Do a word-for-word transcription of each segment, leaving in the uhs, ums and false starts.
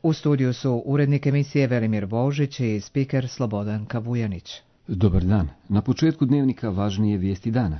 U studiju su urednik emisije Velimir Božić i spiker Slobodan Kavujanić. Dobar dan. Na početku dnevnika važnije vijesti dana.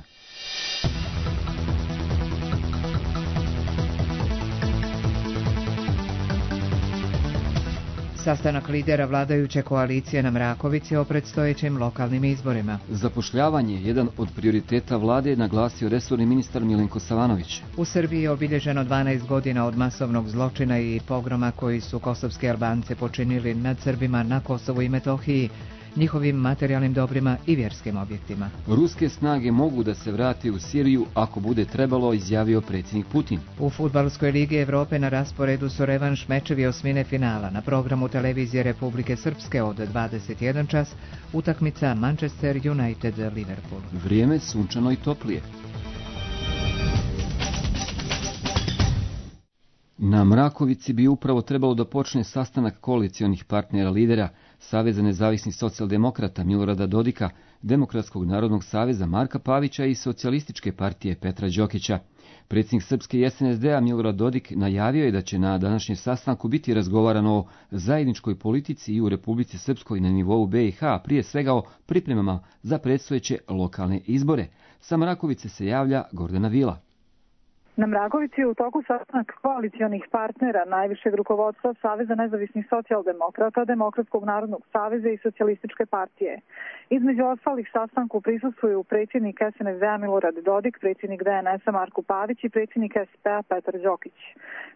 Sastanak lidera vladajuće koalicije na Mrakovici o predstojećim lokalnim izborima. Zapošljavanje, jedan od prioriteta vlade, je naglasio resorni ministar Milenko Savanović. U Srbiji je obilježeno dvanaest godina od masovnog zločina i pogroma koji su kosovski Albance počinili nad Srbima na Kosovu i Metohiji, njihovim materijalnim dobrima i vjerskim objektima. Ruske snage mogu da se vrate u Siriju ako bude trebalo, izjavio predsjednik Putin. U Fudbalskoj ligi Evrope na rasporedu su revanš mečevi osmine finala. Na programu televizije Republike Srpske od dvadeset jedan čas utakmica Manchester United-Liverpool. Vrijeme sunčano i toplije. Na Mrakovici bi upravo trebalo da počne sastanak koalicionih partnera lidera Saveza nezavisnih socijaldemokrata Milorada Dodika, Demokratskog narodnog saveza Marka Pavića i Socijalističke partije Petra Đokića. Predsjednik Srpske i es en es de a Milorad Dodik najavio je da će na današnjem sastanku biti razgovarano o zajedničkoj politici i u Republici Srpskoj na nivou be i ha, prije svega o pripremama za predstojeće lokalne izbore. Sa Mrakovice se javlja Gordana Vila. Na Mrakovici je u toku sastanak koalicionih partnera najvišeg rukovodstva Saveza nezavisnih socijaldemokrata, Demokratskog narodnog saveza i Socijalističke partije. Između ostalih sastanku prisustvuju predsjednik es en es de a Milorad Dodik, predsjednik de en es a Marko Pavić i predsjednik es pe a Petar Đokić.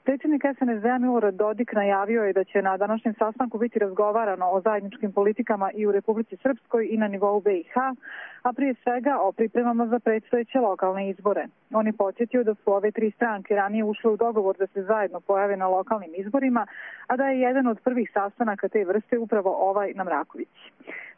Predsjednik es en es de a Milorad Dodik najavio je da će na današnjem sastanku biti razgovarano o zajedničkim politikama i u Republici Srpskoj i na nivou be i ha, a prije svega o pripremama za predstojeće lokalne izbore. On je podsjetio da su ove tri stranke ranije ušle u dogovor da se zajedno pojave na lokalnim izborima, a da je jedan od prvih sastanaka te vrste upravo ovaj na Mrakovici.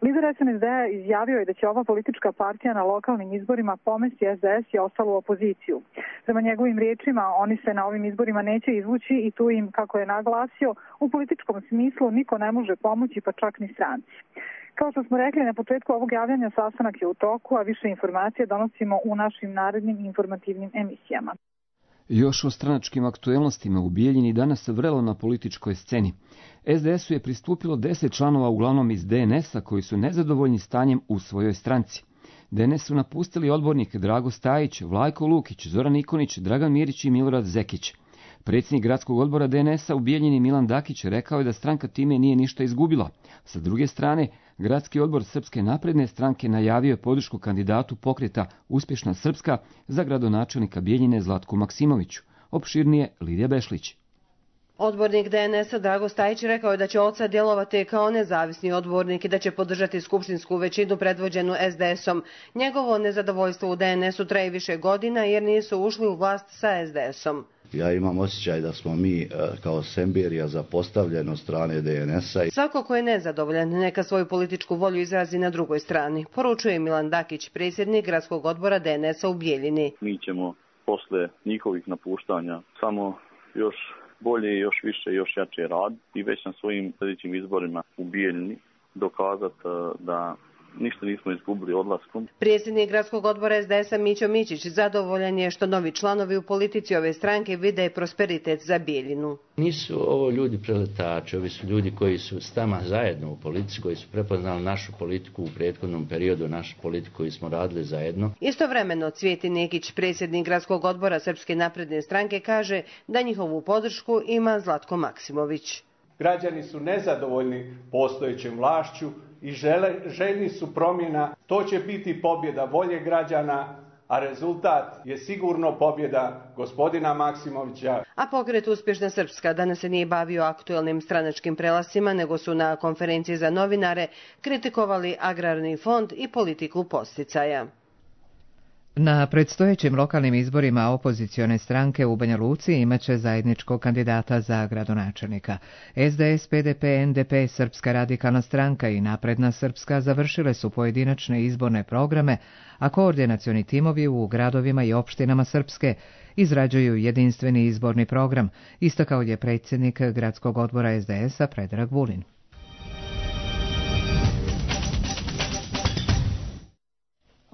Lider es en es de a izjavio je da će ova politička partija na lokalnim izborima pomesti es de es i ostalu opoziciju. Prema njegovim riječima, oni se na ovim izborima neće izvući i tu im, kako je naglasio, u političkom smislu niko ne može pomoći, pa čak ni stranci. Kao što smo rekli na početku ovog javljanja, sastanak je u toku, a više informacije donosimo u našim narednim informativnim emisijama. Još o stranačkim aktuelnostima u Bijeljini danas vrelo na političkoj sceni. es de esu je pristupilo deset članova, uglavnom iz de en es a, koji su nezadovoljni stanjem u svojoj stranci. de en es su napustili odbornik Drago Stajić, Vlajko Lukić, Zoran Ikonić, Dragan Mirić i Milorad Zekić. Predsjednik gradskog odbora de en es a u Bijeljini Milan Dakić rekao je da stranka time nije ništa izgubila. Sa druge strane, gradski odbor Srpske napredne stranke najavio je podršku kandidatu pokreta Uspješna Srpska za gradonačelnika Bijeljine Zlatku Maksimoviću. Opširnije Lidija Bešlić. Odbornik de en es a Drago Stajić rekao je da će od sad djelovati kao nezavisni odbornik i da će podržati skupštinsku većinu predvođenu es de esom. Njegovo nezadovoljstvo u de en esu traje više godina jer nisu ušli u vlast sa es de esom. Ja imam osjećaj da smo mi kao Semberija zapostavljeni od strane de en es a. Svako ko je nezadovoljan neka svoju političku volju izrazi na drugoj strani, poručuje Milan Dakić, predsjednik gradskog odbora de en es a u Bijeljini. Mi ćemo posle njihovih napuštanja samo još bolje, još više, još jače rad i već na svojim sljedećim izborima u Bijeljini dokazati da ništa nismo izgubili odlaskom. Predsjednik gradskog odbora es de es a Mićo Mićić zadovoljan je što novi članovi u politici ove stranke vide prosperitet za Bijeljinu. Nisu ovo ljudi preletači, ovi su ljudi koji su s nama zajedno u politici, koji su prepoznali našu politiku u prethodnom periodu, našu politiku koju smo radili zajedno. Istovremeno Cvijeti Nekić, predsjednik gradskog odbora Srpske napredne stranke, kaže da njihovu podršku ima Zlatko Maksimović. Građani su nezadovoljni postojećem vlašću i žele, željni su promjena. To će biti pobjeda volje građana, a rezultat je sigurno pobjeda gospodina Maksimovića. A pokret Uspješna Srpska danas se nije bavio aktuelnim stranačkim prelasima, nego su na konferenciji za novinare kritikovali agrarni fond i politiku podsticaja. Na predstojećim lokalnim izborima opozicione stranke u Banja Luci imaće zajedničkog kandidata za gradonačelnika. es de es, pe de pe, en de pe, Srpska radikalna stranka i Napredna Srpska završile su pojedinačne izborne programe, a koordinacioni timovi u gradovima i opštinama Srpske izrađuju jedinstveni izborni program, istakao je predsjednik gradskog odbora es de es a Predrag Vulin.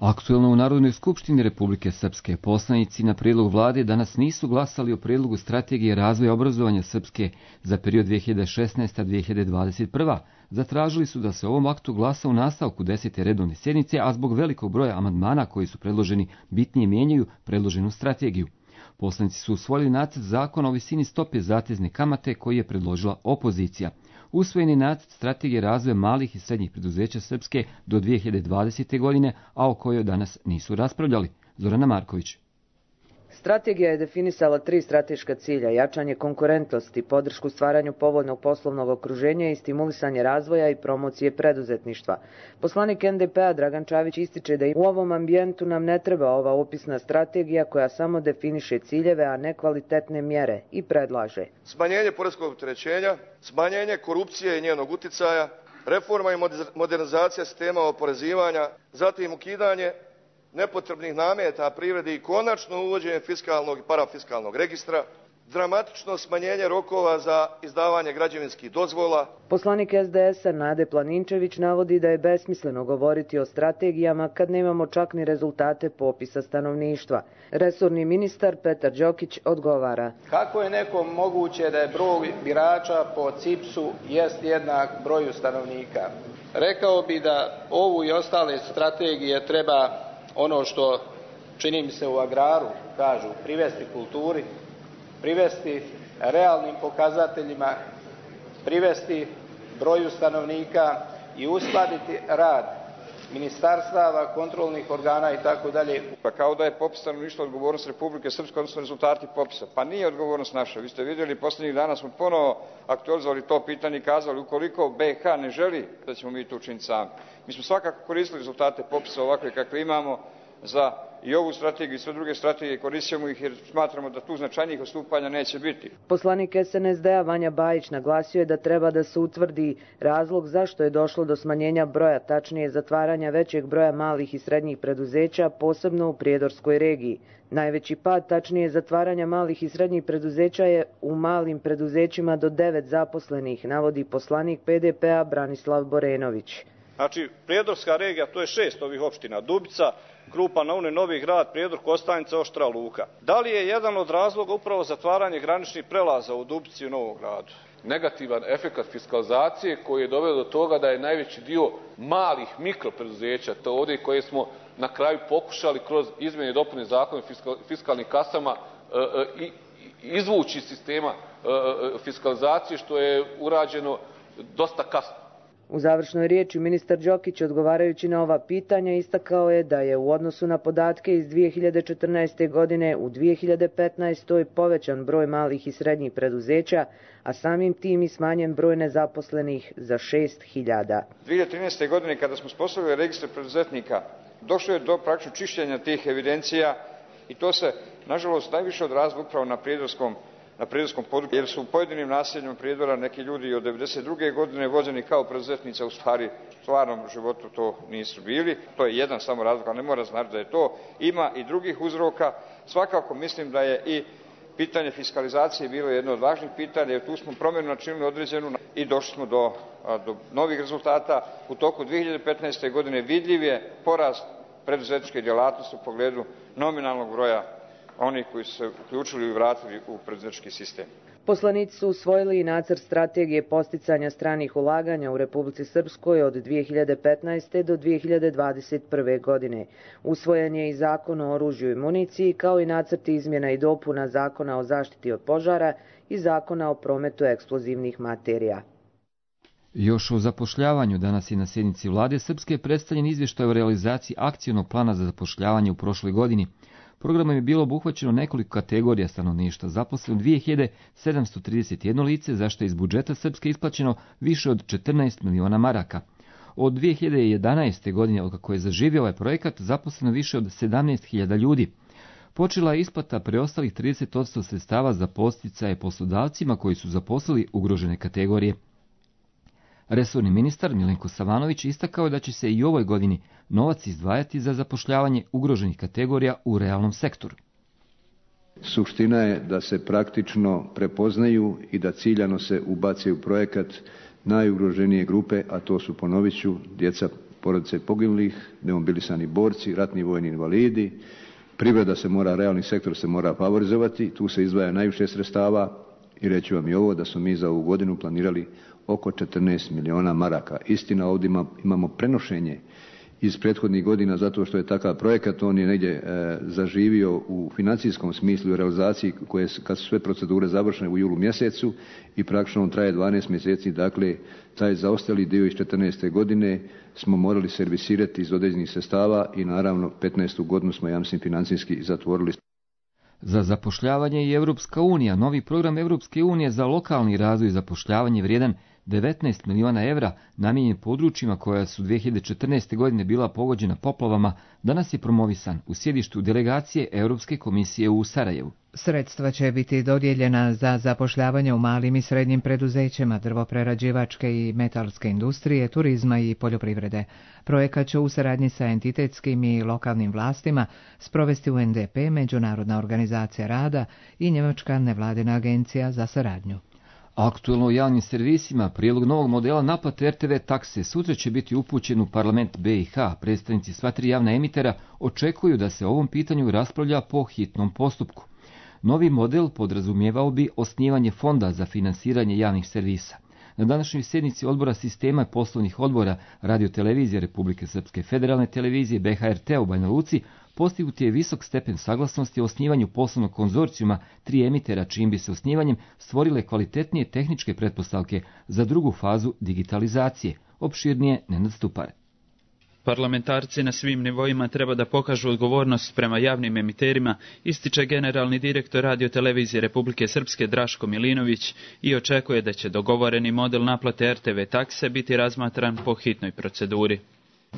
Aktuelno u Narodnoj skupštini Republike Srpske poslanici na prijedlog vlade danas nisu glasali o prijedlogu strategije razvoja obrazovanja Srpske za period dve hiljade šesnaesta do dve hiljade dvadeset prva. Zatražili su da se ovom aktu glasa u nastavku desete redovne sjednice, a zbog velikog broja amandmana koji su predloženi bitnije mijenjaju predloženu strategiju. Poslanici su usvojili nacrt zakona o visini stope zatezne kamate koji je predložila opozicija. Usvojeni nacrt strategije razvoja malih i srednjih preduzeća Srpske do dve hiljade dvadesete. godine, a o kojoj danas nisu raspravljali. Zorana Marković. Strategija je definisala tri strateška cilja: jačanje konkurentnosti, podršku stvaranju povoljnog poslovnog okruženja i stimulisanje razvoja i promocije preduzetništva. Poslanik en de pe-a Dragan Čavić ističe da u ovom ambijentu nam ne treba ova opisna strategija koja samo definiše ciljeve, a ne kvalitetne mjere, i predlaže smanjenje poreskog opterećenja, smanjenje korupcije i njenog uticaja, reforma i modernizacija sistema oporezivanja, zatim ukidanje nepotrebnih nameta privredi i konačno uvođenje fiskalnog i parafiskalnog registra, dramatično smanjenje rokova za izdavanje građevinskih dozvola. Poslanik es de es-a Nade Planinčević navodi da je besmisleno govoriti o strategijama kad nemamo čak ni rezultate popisa stanovništva. Resorni ministar Petar Đokić odgovara: kako je nekom moguće da je broj birača po C I P S-u jest jednak broju stanovnika? Rekao bi da ovu i ostale strategije treba, ono što čini mi se u agraru kažu, privesti kulturi, privesti realnim pokazateljima, privesti broju stanovnika i uskladiti rad ministarstava, kontrolnih organa i tako dalje. Pa kao da je popis stanovništva odgovornost Republike Srpske, odnosno rezultati popisa. Pa nije odgovornost naša. Vi ste vidjeli, posljednjih dana smo ponovo aktualizovali to pitanje i kazali ukoliko be ha ne želi da ćemo mi to učiniti sami. Mi smo svakako koristili rezultate popisa ovakve kakve imamo za i ovu strategiju i sve druge strategije, koristimo ih jer smatramo da tu značajnijih odstupanja neće biti. Poslanik es en es de-a Vanja Bajić naglasio je da treba da se utvrdi razlog zašto je došlo do smanjenja broja, tačnije zatvaranja većeg broja malih i srednjih preduzeća, posebno u Prijedorskoj regiji. Najveći pad, tačnije zatvaranja malih i srednjih preduzeća, je u malim preduzećima do devet zaposlenih, navodi poslanik pe de pe-a Branislav Borenović. Znači, Prijedorska regija, to je šest ovih opština: Dubica, Krupa na Uni, Novi Grad, Prijedor, Kostajnica, Oštra Luka. Da li je jedan od razloga upravo zatvaranje graničnih prelaza u Dubici i u Novom Gradu? Negativan efekat fiskalizacije koji je doveo do toga da je najveći dio malih mikropreduzeća, to ovdje koje smo na kraju pokušali kroz izmjene i dopune zakona o fiskalnim kasama i izvući iz sistema fiskalizacije, što je urađeno dosta kasno. U završnoj riječi ministar Đokić, odgovarajući na ova pitanja, istakao je da je u odnosu na podatke iz dvije hiljade četrnaeste. godine u dvije hiljade petnaestoj. povećan broj malih i srednjih preduzeća, a samim tim i smanjen broj nezaposlenih za šest hiljada. dvije hiljade trinaeste. godine kada smo uspostavili registar preduzetnika, došlo je do praktično čišćenja tih evidencija i to se, nažalost, najviše odrazilo upravo na prijedorskom na prijedorskom području, jer su u pojedinim naseljima Prijedora neki ljudi od devedeset druge. godine vođeni kao preduzetnici, a u stvari u stvarnom životu to nisu bili. To je jedan samo razlog, ali ne mora znači da je to. Ima i drugih uzroka. Svakako mislim da je i pitanje fiskalizacije bilo jedno od važnih pitanja, jer tu smo promjenu načinili određenu i došli smo do, do novih rezultata. U toku dvije hiljade petnaeste. godine vidljiv je porast preduzetničke djelatnosti u pogledu nominalnog broja oni koji su se uključili i vratili u preduzetnički sistem. Poslanici su usvojili i nacrt strategije podsticanja stranih ulaganja u Republici Srpskoj od dvije hiljade petnaeste. do dvije hiljade dvadeset prve. godine. Usvojen je i zakon o oružju i municiji, kao i nacrt izmjena i dopuna zakona o zaštiti od požara i zakona o prometu eksplozivnih materija. Još o zapošljavanju danas je na sjednici vlade Srpske predstavljen izvještaj o realizaciji akcionog plana za zapošljavanje u prošloj godini. Programom je bilo obuhvaćeno nekoliko kategorija stanovništva, zaposleno dvije hiljade sedamsto trideset jedno lice, za što je iz budžeta Srpske isplaćeno više od četrnaest miliona maraka. Od dvije hiljade jedanaeste. godine, od kako je zaživio ovaj projekat, zaposleno više od sedamnaest hiljada ljudi. Počela je isplata preostalih trideset posto sredstava za podsticaje poslodavcima koji su zaposlili ugrožene kategorije. Resorni ministar Milenko Savanović istakao je da će se i u ovoj godini novac izdvajati za zapošljavanje ugroženih kategorija u realnom sektoru. Suština je da se praktično prepoznaju i da ciljano se ubace u projekat najugroženije grupe, a to su, ponovit ću, djeca porodice poginulih, demobilisani borci, ratni vojni invalidi. Privreda se mora, realni sektor se mora favorizovati, tu se izdvaja najviše sredstava i reći vam i ovo da smo mi za ovu godinu planirali oko četrnaest miliona maraka. Istina, ovdje imamo prenošenje iz prethodnih godina zato što je takav projekat, on je negdje e, zaživio u financijskom smislu i realizaciji koje kad su sve procedure završene u julu mjesecu i praktično on traje dvanaest mjeseci, dakle taj zaostali dio iz četrnaeste godine smo morali servisirati iz određenih sredstava i naravno petnaestu godinu smo, ja mislim, financijski zatvorili. Za zapošljavanje i Europska unija, novi program Europske unije za lokalni razvoj i zapošljavanje vrijedan devetnaest miliona evra namijenjen područjima koja su dvije hiljade četrnaeste. godine bila pogođena poplavama, danas je promovisan u sjedištu delegacije Europske komisije u Sarajevu. Sredstva će biti dodijeljena za zapošljavanje u malim i srednjim preduzećima drvoprerađivačke i metalske industrije, turizma i poljoprivrede. Projekat će u saradnji sa entitetskim i lokalnim vlastima sprovesti U N D P, Međunarodna organizacija rada i Njemačka nevladina agencija za saradnju. Aktuelno u javnim servisima prijedlog novog modela naplate R T V takse sutra će biti upućen u parlament B i H. Predstavnici sva tri javna emitera očekuju da se o ovom pitanju raspravlja po hitnom postupku. Novi model podrazumijevao bi osnivanje fonda za finansiranje javnih servisa. Na današnjoj sjednici odbora sistema i poslovnih odbora Radio-televizije Republike Srpske, Federalne televizije B H R T u Banja Luci postignut je visok stepen saglasnosti o osnivanju poslovnog konzorcijuma tri emitera, čijim bi se osnivanjem stvorile kvalitetnije tehničke pretpostavke za drugu fazu digitalizacije. Opširnije Nenad Stupar. Parlamentarci na svim nivoima treba da pokažu odgovornost prema javnim emiterima, ističe generalni direktor Radio-televizije Republike Srpske Draško Milinović i očekuje da će dogovoreni model naplate R T V takse biti razmatran po hitnoj proceduri.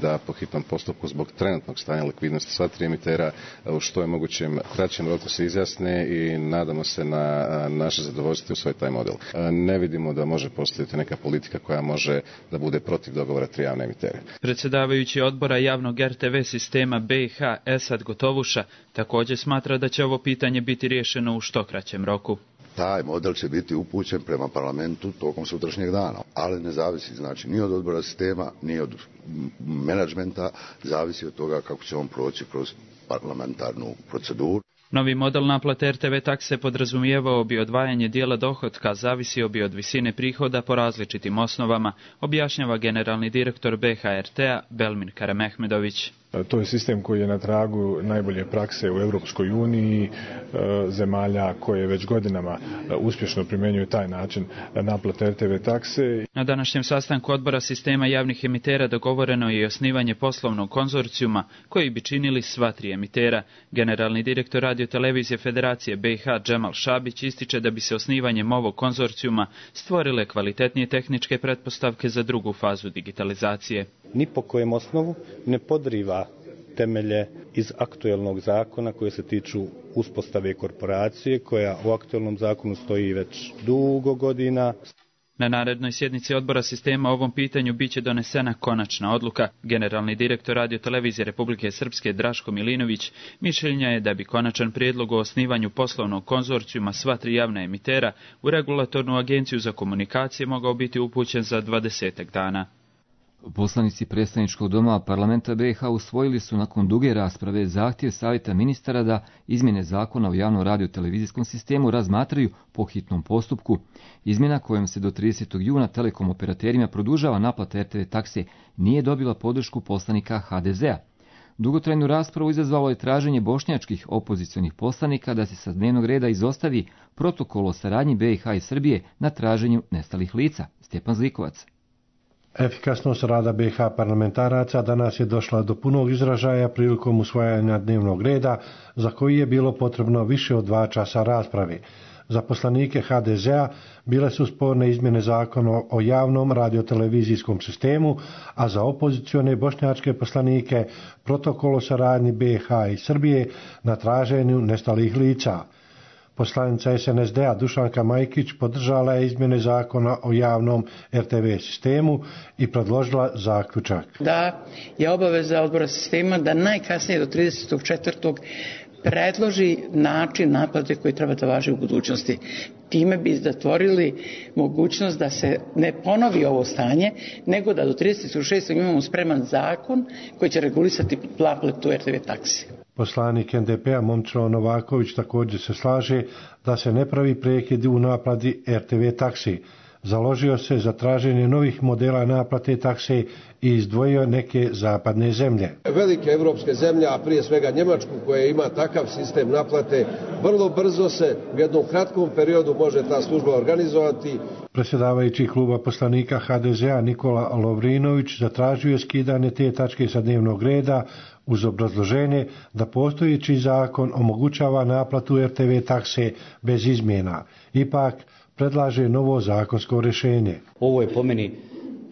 Da po hitnom postupku zbog trenutnog stanja likvidnosti sva tri emitera u što je mogućem kraćem roku se izjasne i nadamo se na naše zadovoljstvo u svoj taj model. Ne vidimo da može postojati neka politika koja može da bude protiv dogovora tri javne emitere. Predsjedavajući odbora javnog R T V sistema B i H Esad Gotovuša također smatra da će ovo pitanje biti riješeno u što kraćem roku. Taj model će biti upućen prema parlamentu tokom sutrašnjeg dana, ali ne zavisi znači ni od odbora sistema, ni od menadžmenta, zavisi od toga kako će on proći kroz parlamentarnu proceduru. Novi model naplate R T V takse podrazumijevao bi odvajanje dijela dohotka, zavisio bi od visine prihoda po različitim osnovama, objašnjava generalni direktor B H R T-a Belmin Karamehmedović. To je sistem koji je na tragu najbolje prakse u Europskoj uniji, zemalja koje već godinama uspješno primjenjuju taj način naplate R T V takse. Na današnjem sastanku odbora sistema javnih emitera dogovoreno je i osnivanje poslovnog konzorcijuma koji bi činili sva tri emitera. Generalni direktor Radio-televizije Federacije B i H Džemal Šabić ističe da bi se osnivanjem ovog konzorcijuma stvorile kvalitetnije tehničke pretpostavke za drugu fazu digitalizacije. Ni po kojem osnovu ne podriva temelje iz aktuelnog zakona koje se tiču uspostave korporacije koja u aktuelnom zakonu stoji već dugo godina. Na narednoj sjednici odbora sistema o ovom pitanju biće donesena konačna odluka. Generalni direktor Radio-televizije Republike Srpske Draško Milinović mišljenja je da bi konačan prijedlog o osnivanju poslovnog konzorcijuma sva tri javna emitera u regulatornu agenciju za komunikacije mogao biti upućen za dvadesetak dana. Poslanici predstavničkog doma parlamenta B i H usvojili su nakon duge rasprave zahtjev savjeta ministara da izmjene zakona o javnom radio-televizijskom sistemu razmatraju po hitnom postupku. Izmjena kojom se do tridesetog juna telekom operaterima produžava naplata R T V takse nije dobila podršku poslanika H D Z-a. Dugotrajnu raspravu izazvalo je traženje bošnjačkih opozicionih poslanika da se sa dnevnog reda izostavi protokol o saradnji B i H i Srbije na traženju nestalih lica. Stjepan Zlikovac. Efikasnost rada B i H parlamentaraca danas je došla do punog izražaja prilikom usvajanja dnevnog reda, za koji je bilo potrebno više od dva časa rasprave. Za poslanike H D Z-a bile su sporne izmjene zakona o javnom radiotelevizijskom sistemu, a za opozicione bošnjačke poslanike protokol o saradnji B i H i Srbije na traženju nestalih lica. Poslanica S N S D-a Dušanka Majkić podržala je izmjene zakona o javnom R T V sistemu i predložila zaključak. Da je obaveza odbora sistema da najkasnije do tridesetog četvrtog predloži način naplate koji treba da važi u budućnosti. Time bi zatvorili mogućnost da se ne ponovi ovo stanje, nego da do tridesetog šestog imamo spreman zakon koji će regulisati naplatu er te ve taksi. Poslanik en de pe a Momčilo Novaković također se slaže da se ne pravi prekid u naplati er te ve taksi. Založio se za traženje novih modela naplate takse i izdvojio neke zapadne zemlje. Velike evropske zemlje, a prije svega Njemačku koja ima takav sistem naplate, vrlo brzo se u jednom kratkom periodu može ta služba organizovati. Predsjedavajući kluba poslanika ha de ze a Nikola Lovrinović zatražio je skidanje te tačke sa dnevnog reda uz obrazloženje da postojeći zakon omogućava naplatu er te ve takse bez izmjena. Ipak predlaže novo zakonsko rješenje. Ovo je po meni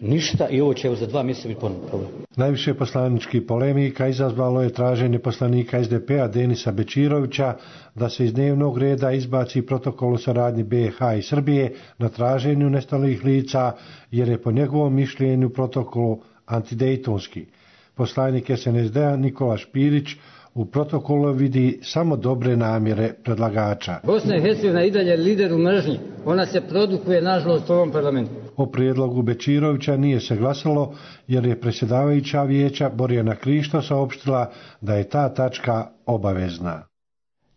ništa i ovo će za dva mjeseca biti ponovno problem. Najviše poslaničkih polemika izazvalo je traženje poslanika es de pe a Denisa Bečirovića da se iz dnevnog reda izbaci protokol o saradnji be ha i Srbije na traženju nestalih lica, jer je po njegovom mišljenju protokolu antidejtonski. Poslanik es en es de a Nikola Špirić u protokolu vidi samo dobre namjere predlagača. Bosna i Hercegovina i dalje lider u mržnji. Ona se produkuje, nažalost, u ovom parlamentu. O prijedlogu Bečirovića nije se glasalo, jer je predsjedavajuća vijeća Borjana Krišto saopštila da je ta tačka obavezna.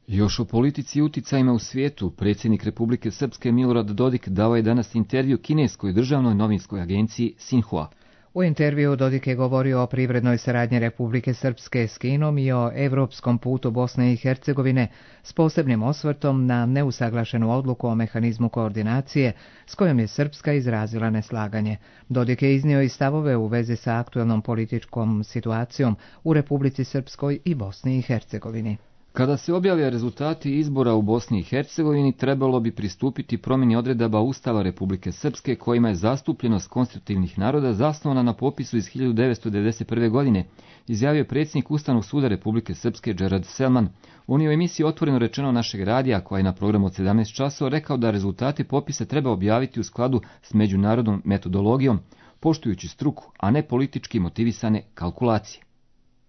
Još o politici i uticajima u svijetu, predsjednik Republike Srpske Milorad Dodik dao je danas intervju kineskoj državnoj novinskoj agenciji Sinhua. U intervju Dodik je govorio o privrednoj saradnji Republike Srpske s Kinom i o evropskom putu Bosne i Hercegovine s posebnim osvrtom na neusaglašenu odluku o mehanizmu koordinacije s kojom je Srpska izrazila neslaganje. Dodik je iznio i stavove u vezi sa aktuelnom političkom situacijom u Republici Srpskoj i Bosni i Hercegovini. Kada se objave rezultati izbora u Bosni i Hercegovini, trebalo bi pristupiti promjeni odredaba Ustava Republike Srpske kojima je zastupljenost konstitutivnih naroda zasnovana na popisu iz hiljadu devetsto devedeset prve. godine, izjavio je predsjednik Ustavnog suda Republike Srpske Džerad Selman. On je u emisiji Otvoreno rečeno našeg radija, koja je na programu od sedamnaest časova, rekao da rezultati popisa treba objaviti u skladu s međunarodnom metodologijom, poštujući struku, a ne politički motivisane kalkulacije.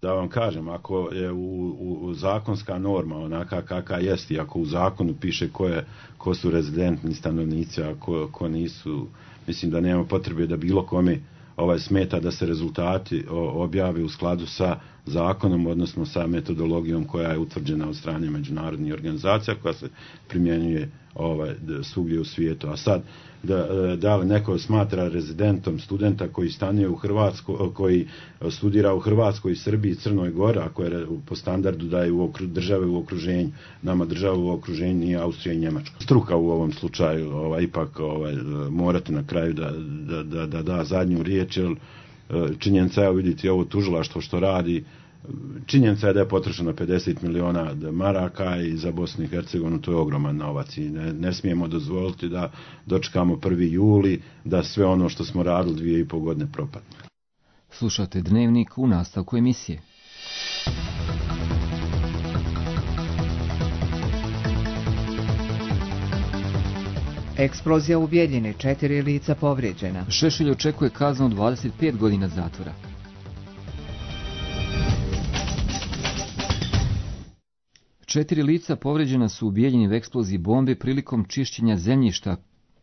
Da vam kažem, ako je u, u, u zakonska norma onaka kakva jest i ako u zakonu piše ko, je, ko su rezidentni stanovnici, a ko, ko nisu, mislim da nema potrebe da bilo kome ovaj smeta da se rezultati objave u skladu sa zakonom, odnosno sa metodologijom koja je utvrđena od strane međunarodnih organizacija koja se primjenjuje ovaj, svugdje u svijetu. A sad, da, da li neko smatra rezidentom studenta koji stanuje u Hrvatskoj, koji studira u Hrvatskoj, Srbiji, Crnoj Gori, ako je po standardu da je u okru, države u okruženju, nama država u okruženju nije Austrija i Njemačka. Struka u ovom slučaju ovaj, ipak ovaj, morate na kraju da da, da, da da zadnju riječ, jer činjenica je, vidite ovo tužilaštvo što radi, činjenica je da je potrošeno pedeset miliona maraka i za Bosnu i Hercegovinu to je ogroman novac i ne, ne smijemo dozvoliti da dočekamo prvi juli, da sve ono što smo radili dvije i pol godine propadne. Slušate Dnevnik u nastavku emisije. Eksplozija u Bijeljini, četiri lica povrijeđena. Šešelj očekuje kaznu od dvadeset pet godina zatvora. Četiri lica povrijeđena su u Bijeljini u eksploziji bombe prilikom čišćenja zemljišta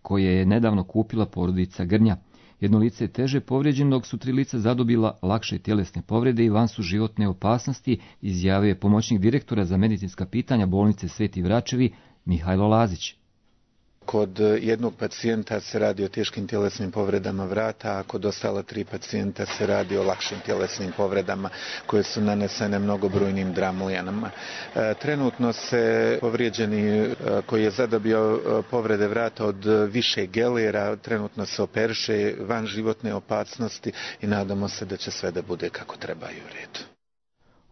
koje je nedavno kupila porodica Grnja. Jedno lice je teže povrijeđeno, dok su tri lica zadobila lakše tjelesne povrede i van su životne opasnosti, izjavio je pomoćnik direktora za medicinska pitanja bolnice Sveti Vračevi Mihajlo Lazić. Kod jednog pacijenta se radi o teškim tjelesnim povredama vrata, a kod ostala tri pacijenta se radi o lakšim tjelesnim povredama koje su nanesene mnogobrojnim dramujanama. Trenutno se povrijeđeni koji je zadobio povrede vrata od više gelera, trenutno se operiše van životne opasnosti i nadamo se da će sve da bude kako treba i u redu.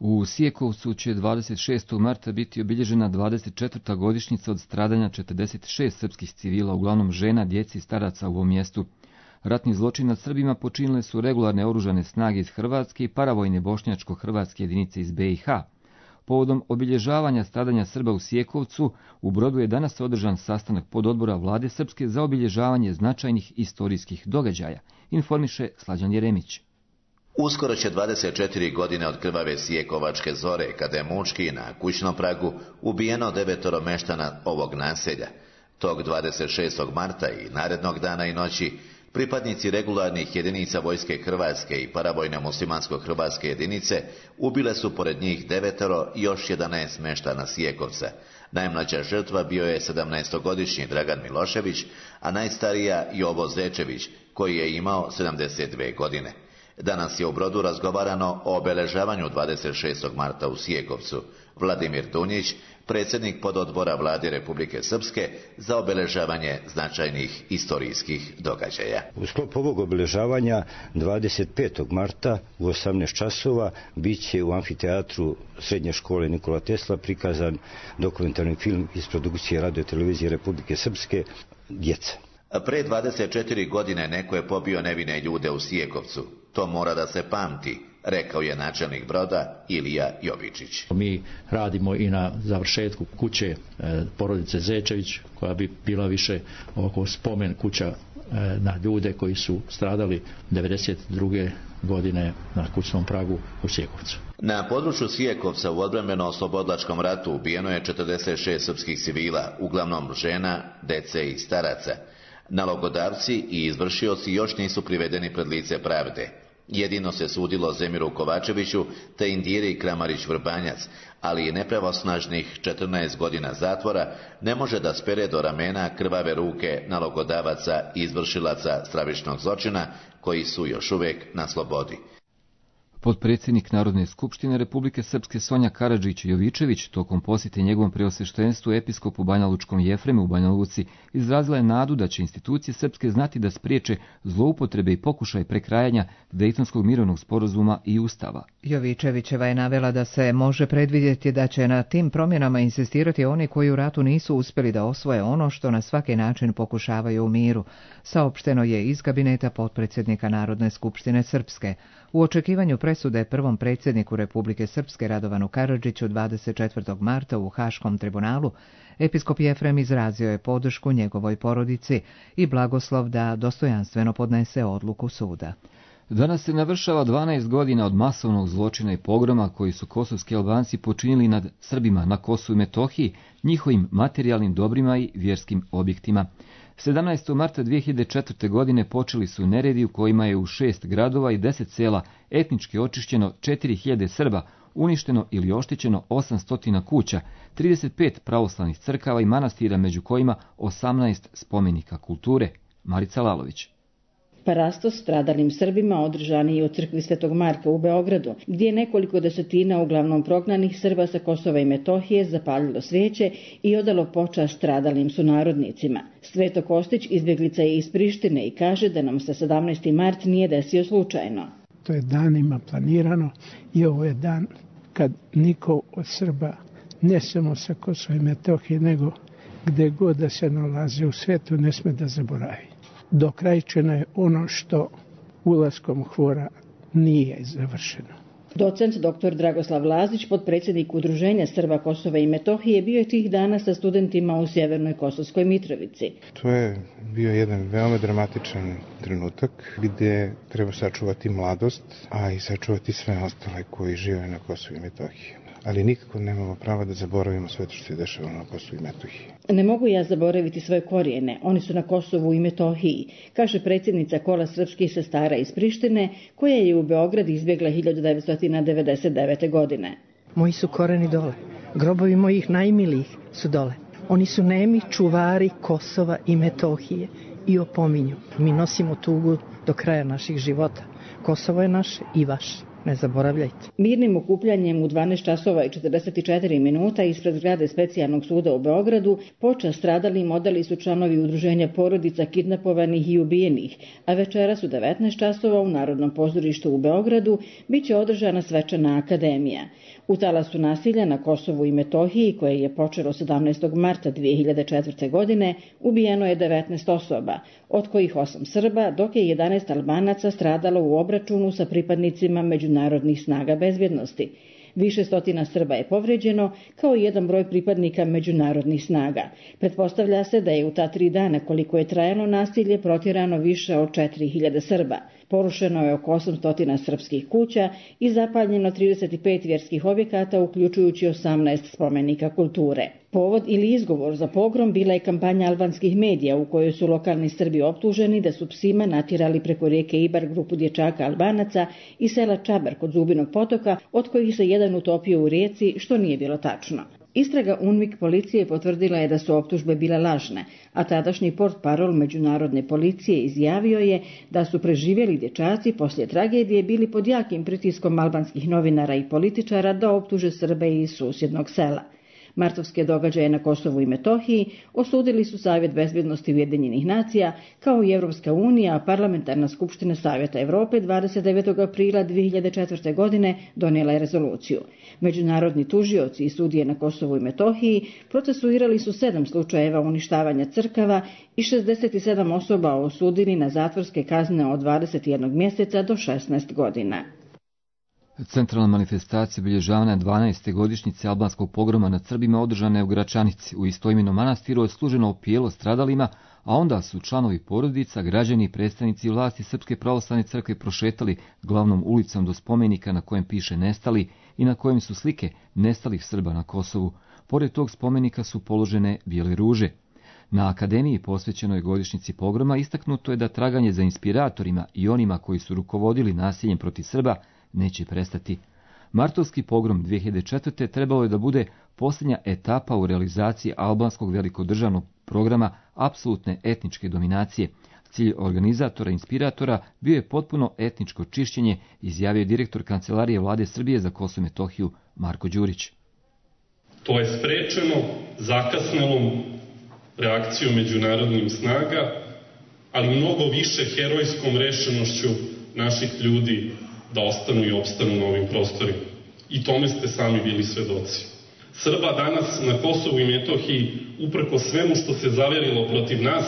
U Sijekovcu će dvadeset šestog marta biti obilježena dvadeset četvrta godišnjica od stradanja četrdeset šest srpskih civila, uglavnom žena, djeci i staraca u ovom mjestu. Ratni zločin nad Srbima počinile su regularne oružane snage iz Hrvatske i paravojne bošnjačko-hrvatske jedinice iz be i ha. Povodom obilježavanja stradanja Srba u Sijekovcu, u Brodu je danas održan sastanak pododbora Vlade Srpske za obilježavanje značajnih istorijskih događaja, informiše Slađan Jeremić. Uskoro će dvadeset četiri godine od krvave Sijekovačke zore, kada je mučki na kućnom pragu ubijeno devetoro meštana ovog naselja. Tog dvadeset šestog marta i narednog dana i noći pripadnici regularnih jedinica vojske Hrvatske i paravojne muslimansko-hrvatske jedinice ubile su pored njih devetoro i još jedanaest meštana Sijekovca. Najmlađa žrtva bio je sedamnaestogodišnji Dragan Milošević, a najstarija Jovo Zečević, koji je imao sedamdeset dvije godine. Danas je u Brodu razgovarano o obeležavanju dvadeset šestog marta u Sijekovcu. Vladimir Dunjić, predsjednik pododbora Vlade Republike Srpske za obeležavanje značajnih istorijskih događaja. U sklopu ovog obeležavanja dvadeset petog marta u osamnaest časova bit će u amfiteatru Srednje škole Nikola Tesla prikazan dokumentarni film iz produkcije Radio televizije Republike Srpske Djeca. Pre dvadeset četiri godine neko je pobio nevine ljude u Sijekovcu. To mora da se pamti, rekao je načelnik Broda Ilija Jovičić. Mi radimo i na završetku kuće e, porodice Zečević, koja bi bila više oko spomen kuća e, na ljude koji su stradali devedeset druge godine na kućnom pragu u Sijekovcu. Na području Sijekovca u odbrambeno-oslobodlačkom ratu ubijeno je četrdeset šest srpskih civila, uglavnom žena, dece i staraca. Nalogodavci i izvršioci još nisu privedeni pred lice pravde. Jedino se sudilo Zemiru Kovačeviću te Indiri Kramarić-Vrbanjac, ali i nepravosnažnih četrnaest godina zatvora ne može da spere do ramena krvave ruke nalogodavaca i izvršilaca stravičnog zločina koji su još uvijek na slobodi. Potpredsjednik Narodne skupštine Republike Srpske Sonja Karadžić-Jovičević tokom posjete njegovom preosveštenstvu episkopu Banjalučkom Jefremu u Banja Luci izrazila je nadu da će institucije srpske znati da spriječe zloupotrebe i pokušaj prekrajanja Dejtonskog mirovnog sporazuma i Ustava. Jovičevićeva je navela da se može predvidjeti da će na tim promjenama insistirati oni koji u ratu nisu uspjeli da osvoje ono što na svaki način pokušavaju u miru. Saopšteno je iz kabineta potpredsjednika Narodne skupštine Srpske. U očekivanju presude prvom predsjedniku Republike Srpske Radovanu Karadžiću dvadeset četvrtog marta u Haškom tribunalu, episkop Jefrem izrazio je podršku njegovoj porodici i blagoslov da dostojanstveno podnese odluku suda. Danas se navršava dvanaest godina od masovnog zločina i pogroma koji su kosovski Albanci počinili nad Srbima na Kosovu i Metohiji, njihovim materijalnim dobrima i vjerskim objektima. sedamnaestog marta dvije hiljade četvrte. godine počeli su neredi u kojima je u šest gradova i deset sela etnički očišćeno četiri hiljade Srba, uništeno ili oštećeno osamsto kuća, trideset pet pravoslavnih crkava i manastira, među kojima osamnaest spomenika kulture. Marica Lalović. Parastos stradalim Srbima održan je u crkvi Svetog Marka u Beogradu, gdje je nekoliko desetina uglavnom prognanih Srba sa Kosova i Metohije zapalilo svijeće i odalo počast stradalim sunarodnicima. Sveto Kostić izbjeglica je iz Prištine i kaže da nam se sedamnaesti mart nije desio slučajno. To je danima planirano i ovo je dan kad niko od Srba, ne samo sa Kosova i Metohije, nego gdje god da se nalaze u svijetu, ne sme da zaboravi. Dokrajčeno je ono što ulaskom Hvora nije završeno. Docent doktor Dragoslav Lazić, potpredsjednik Udruženja Srba Kosova i Metohije, bio je tih dana sa studentima u Sjevernoj Kosovskoj Mitrovici. To je bio jedan veoma dramatičan trenutak gdje treba sačuvati mladost, a i sačuvati sve ostale koji žive na Kosovu i Metohiji. Ali nikako nemamo prava da zaboravimo sve to što se dešava na Kosovu i Metohiji. Ne mogu ja zaboraviti svoje korijene, oni su na Kosovu i Metohiji, kaže predsjednica Kola srpskih sestara iz Prištine, koja je u Beograd izbjegla hiljadu devetsto devedeset devete. godine. Moji su koreni dole, grobovi mojih najmilijih su dole. Oni su nemi čuvari Kosova i Metohije i opominju. Mi nosimo tugu do kraja naših života. Kosovo je naše i vaše. Ne zaboravljajte. Mirnim okupljanjem u dvanaest časova i četrdeset četiri minuta ispred zgrade Specijalnog suda u Beogradu počast stradalim odali su članovi udruženja porodica kidnapovanih i ubijenih, a večeras u devetnaest časova u Narodnom pozorištu u Beogradu biće održana svečana akademija. U talasu nasilja na Kosovu i Metohiji, koje je počelo sedamnaestog marta dvije hiljade četvrte. godine, ubijeno je devetnaest osoba, od kojih osam Srba, dok je jedanaest Albanaca stradalo u obračunu sa pripadnicima međunarodnih snaga bezbjednosti. Više stotina Srba je povređeno, kao i jedan broj pripadnika međunarodnih snaga. Pretpostavlja se da je u ta tri dana koliko je trajalo nasilje protjerano više od četiri hiljade Srba. Porušeno je oko osamsto srpskih kuća i zapaljeno trideset pet vjerskih objekata, uključujući osamnaest spomenika kulture. Povod ili izgovor za pogrom bila je kampanja albanskih medija u kojoj su lokalni Srbi optuženi da su psima natjerali preko rijeke Ibar grupu dječaka Albanaca i sela Čabar kod Zubinog potoka, od kojih se jedan utopio u rijeci, što nije bilo tačno. Istraga UNMIK policije potvrdila je da su optužbe bile lažne, a tadašnji portparol međunarodne policije izjavio je da su preživjeli dječaci poslije tragedije bili pod jakim pritiskom albanskih novinara i političara da optuže Srbe iz susjednog sela. Martovske događaje na Kosovu i Metohiji osudili su Savjet bezbjednosti Ujedinjenih nacija, kao i Europska unija, a Parlamentarna skupština Savjeta Europe dvadeset devetog aprila dvije hiljade četvrte. godine donijela je rezoluciju. Međunarodni tužioci i sudije na Kosovu i Metohiji procesuirali su sedam slučajeva uništavanja crkava i šezdeset sedam osoba osudili na zatvorske kazne od dvadeset jednog mjeseca do šesnaest godina. Centralna manifestacija obilježavanja dvanaeste godišnjice albanskog pogroma nad Srbima održana je u Gračanici. U istoimenom manastiru je služeno opijelo stradalima, a onda su članovi porodica, građani i predstavnici vlasti Srpske pravoslavne crkve prošetali glavnom ulicom do spomenika na kojem piše nestali i na kojem su slike nestalih Srba na Kosovu. Pored tog spomenika su položene bijele ruže. Na akademiji posvećenoj godišnjici pogroma istaknuto je da traganje za inspiratorima i onima koji su rukovodili nasiljem protiv Srba neće prestati. Martovski pogrom dvije hiljade četvrte. trebalo je da bude posljednja etapa u realizaciji albanskog velikodržavnog programa apsolutne etničke dominacije. Cilj organizatora i inspiratora bio je potpuno etničko čišćenje, izjavio direktor Kancelarije Vlade Srbije za Kosovo i Metohiju Marko Đurić. To je sprečeno zakasnelom reakcijom međunarodnih snaga, ali mnogo više herojskom rešenošću naših ljudi da ostanu i opstanu na ovim prostorima. I tome ste sami bili svedoci. Srba danas na Kosovu i Metohiji, uprko svemu što se zaverilo protiv nas,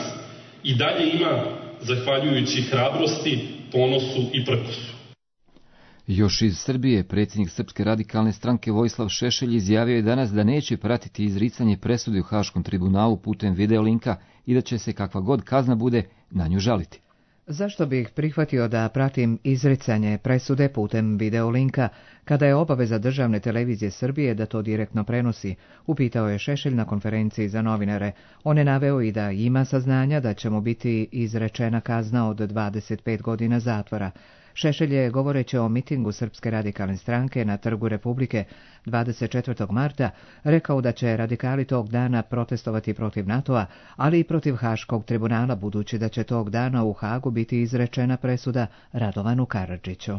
i dalje ima, zahvaljujući hrabrosti, ponosu i prkosu. Još iz Srbije, predsjednik Srpske radikalne stranke Vojislav Šešelj izjavio je danas da neće pratiti izricanje presude u Haškom tribunalu putem videolinka i da će se kakva god kazna bude na nju žaliti. Zašto bih prihvatio da pratim izricanje presude putem videolinka, kada je obaveza državne televizije Srbije da to direktno prenosi, upitao je Šešelj na konferenciji za novinare. On je naveo i da ima saznanja da će mu biti izrečena kazna od dvadeset pet godina zatvora. Šešelj je, govoreći o mitingu Srpske radikalne stranke na Trgu Republike dvadeset četvrtog marta, rekao da će radikali tog dana protestovati protiv NATO-a, ali i protiv Haškog tribunala, budući da će tog dana u Hagu biti izrečena presuda Radovanu Karadžiću.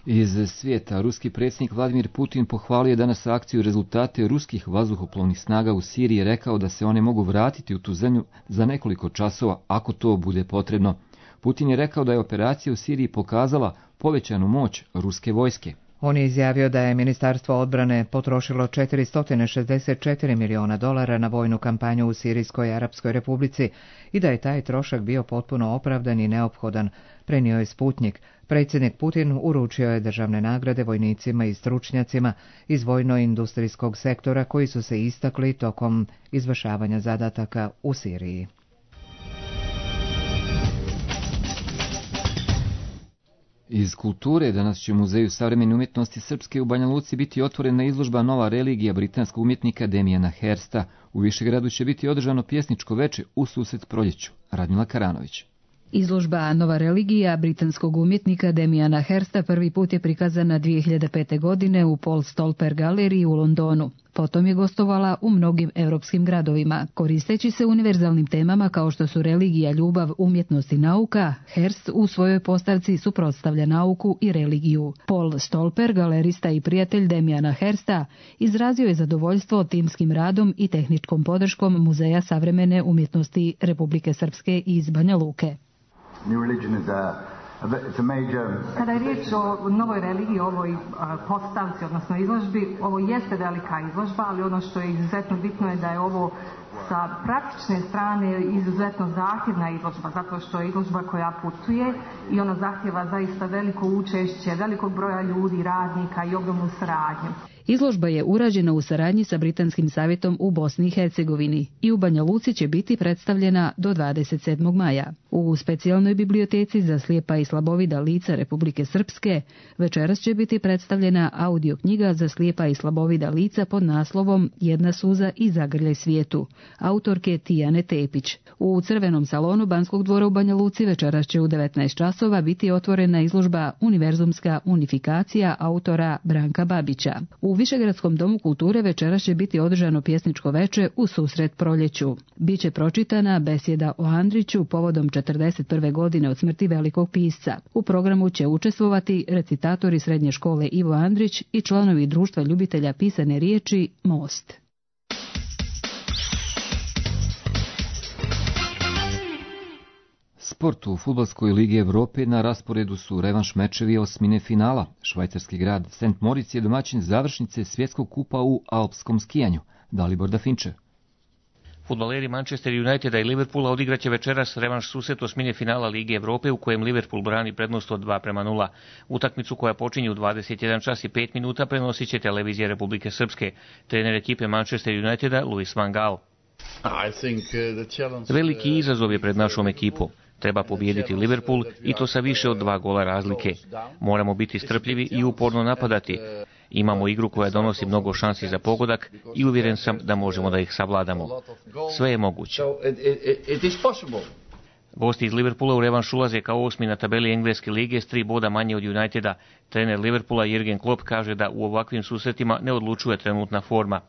Iz svijeta, ruski predsjednik Vladimir Putin pohvalio danas akciju rezultate ruskih vazduhoplovnih snaga u Siriji i rekao da se one mogu vratiti u tu zemlju za nekoliko časova ako to bude potrebno. Putin je rekao da je operacija u Siriji pokazala povećanu moć ruske vojske. On je izjavio da je Ministarstvo odbrane potrošilo četiristo šezdeset četiri miliona dolara na vojnu kampanju u Sirijskoj Arapskoj Republici i da je taj trošak bio potpuno opravdan i neophodan, prenio je Sputnik. Predsjednik Putin uručio je državne nagrade vojnicima i stručnjacima iz vojno-industrijskog sektora koji su se istakli tokom izvršavanja zadataka u Siriji. Iz kulture danas će u Muzeju savremene umjetnosti Srpske u Banja Luci biti otvorena izložba Nova religija britanskog umjetnika Damijana Hirsta. U Višegradu će biti održano pjesničko veče u susret proljeću. Radmila Karanović. Izložba Nova religija britanskog umjetnika Damijana Hirsta prvi put je prikazana dvije hiljade pete. godine u Paul Stolper galeriji u Londonu. Potom je gostovala u mnogim europskim gradovima. Koristeći se univerzalnim temama kao što su religija, ljubav, umjetnost i nauka, Hirst u svojoj postavci suprotstavlja nauku i religiju. Paul Stolper, galerista i prijatelj Damijana Hirsta, izrazio je zadovoljstvo timskim radom i tehničkom podrškom Muzeja savremene umjetnosti Republike Srpske iz Banja Luke. Kada je riječ o novoj religiji, ovoj postavci, odnosno izložbi, ovo jeste velika izložba, ali ono što je izuzetno bitno je da je ovo Sa praktične strane izuzetno zahtjevna izložba, zato što je izložba koja putuje i ona zahtjeva zaista veliko učešće, velikog broja ljudi, radnika i ogromnu saradnju. Izložba je urađena u saradnji sa Britanskim savjetom u Bosni i Hercegovini i u Banja Luci će biti predstavljena do dvadeset sedmog maja. U specijalnoj biblioteci za slijepa i slabovida lica Republike Srpske večeras će biti predstavljena audio knjiga za slijepa i slabovida lica pod naslovom Jedna suza i zagrljaj svijetu, autorke Tijane Tepić. U Crvenom salonu Banskog dvora u Banja Luci večeras će u devetnaest časova biti otvorena izložba Univerzumska unifikacija autora Branka Babića. U Višegradskom domu kulture večeras će biti održano pjesničko veče u susret proljeću. Biće pročitana besjeda o Andriću povodom četrdeset prve godine od smrti velikog pisca. U programu će učestvovati recitatori srednje škole Ivo Andrić i članovi društva ljubitelja pisane riječi Most. Sport u Fudbalskoj ligi Evrope na rasporedu su revanš mečevi osmine finala. Švajcarski grad Saint Moritz je domaćin završnice svjetskog kupa u alpskom skijanju. Dalibor Dafinče. Fudbaleri Manchester Uniteda i Liverpoola odigraće večeras revanš susret osmine finala Lige Evrope u kojem Liverpool brani prednost od dva prema nula. Utakmicu koja počinje u dvadeset jedan čas i pet minuta prenosit će televizija Republike Srpske. Trener ekipe Manchester Uniteda Louis van Gaal. Veliki izazov je pred našom ekipom. Treba pobijediti Liverpool i to sa više od dva gola razlike. Moramo biti strpljivi i uporno napadati. Imamo igru koja donosi mnogo šansi za pogodak i uvjeren sam da možemo da ih savladamo. Sve je moguće. Gosti iz Liverpoola u revanš ulaze kao osmi na tabeli Engleske lige s tri boda manje od Uniteda. Trener Liverpoola Jürgen Klopp kaže da u ovakvim susretima ne odlučuje trenutna forma.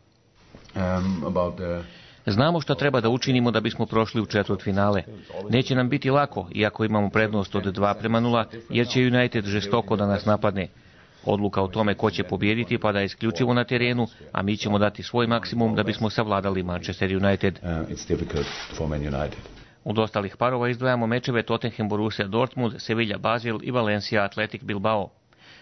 Znamo što treba da učinimo da bismo prošli u četvrtfinale. Neće nam biti lako, iako imamo prednost od dva prema nula, jer će United žestoko da nas napadne. Odluka o tome ko će pobijediti pada je isključivo na terenu, a mi ćemo dati svoj maksimum da bismo savladali Manchester United. Od ostalih parova izdvajamo mečeve Tottenham Borussia Dortmund, Sevilla Basel i Valencia Athletic Bilbao.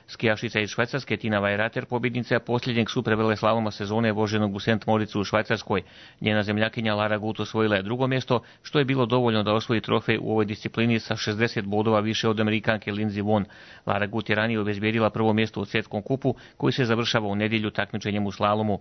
Skijašica iz Švajcarske Tina Weirater pobjednica posljednjeg superveleslaloma sezone voženog u Saint Moritzu u Švajcarskoj. Njena zemljakinja Lara Gut osvojila je drugo mjesto, što je bilo dovoljno da osvoji trofej u ovoj disciplini sa šezdeset bodova više od Amerikanke Lindsey Vonn. Lara Gut je ranije obezbijedila prvo mjesto u svjetskom kupu koji se završava u nedjelju takmičenjem u slalomu.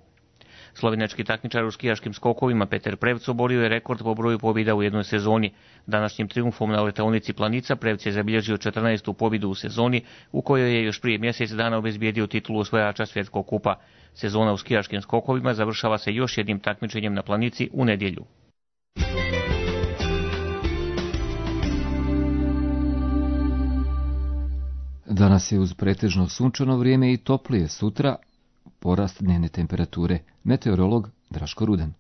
Slovenački takmičar u skijaškim skokovima Peter Prevc oborio je rekord po broju pobjeda u jednoj sezoni. Današnjim triumfom na letaonici Planica Prevc je zabilježio četrnaestu pobjedu u sezoni, u kojoj je još prije mjesec dana obezbijedio titulu osvajača svjetskog kupa. Sezona u skijaškim skokovima završava se još jednim takmičenjem na Planici u nedjelju. Danas je uz pretežno sunčano vrijeme i toplije, sutra porast dnevne temperature. Meteorolog Draško Rudan.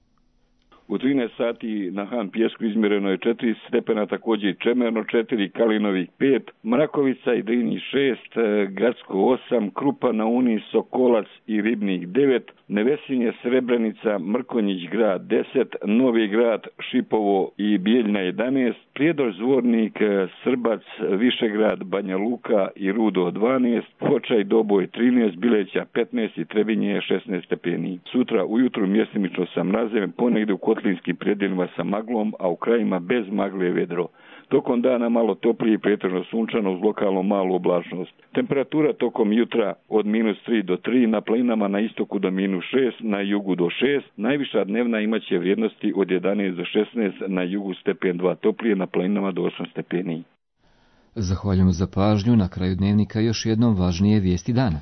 U trinaest sati na Han Pjesku izmjereno je četiri stepena, također Čemerno četiri, Kalinovik pet, Mrakovica i Drini šest, Gacko osam, Krupa na Uni, Sokolac i Ribnik devet, Nevesinje, Srebrenica, Mrkonjić grad deset, Novi grad, Šipovo i Bijeljna jedanaest, Prijedor, Zvornik, Srbac, Višegrad, Banja Luka i Rudo dvanaest, Foča i Doboj trinaest, Bileća petnaest i Trebinje šesnaest stepeni. Sutra ujutru mjestimično sa mrazem, ponegdje u kotlinskim predjelima sa maglom, a u krajima bez magle vedro. Tokom dana malo toplije i pretežno sunčano uz lokalno malu oblačnost. Temperatura tokom jutra od minus tri do tri, na planinama na istoku do minus šest, na jugu do šest. Najviša dnevna imaće vrijednosti od jedanaest do šesnaest, na jugu stepen dva toplije, na planinama do osam stepeni. Zahvaljujemo za pažnju. Na kraju dnevnika još jednom važnije vijesti dana.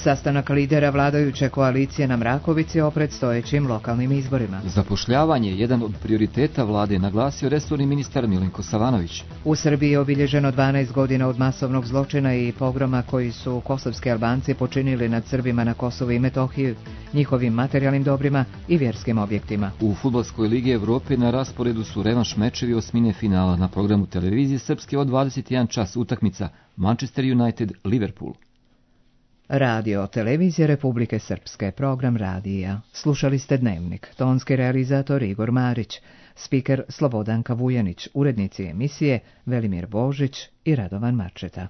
Sastanak lidera vladajuće koalicije na Mrakovici o predstojećim lokalnim izborima. Zapošljavanje je jedan od prioriteta vlade, naglasio resorni ministar Milenko Savanović. U Srbiji je obilježeno dvanaest godina od masovnog zločina i pogroma koji su kosovski Albanci počinili nad Srbima na Kosovu i Metohiji, njihovim materijalnim dobrima i vjerskim objektima. U Fudbalskoj ligi Evrope na rasporedu su revanš mečevi osmine finala. Na programu televizije Srpske od dvadeset jedan čas utakmica Manchester United Liverpool. Radio televizije Republike Srpske, program radija. Slušali ste Dnevnik, tonski realizator Igor Marić, spiker Slobodanka Vujanić, urednici emisije Velimir Božić i Radovan Marčeta.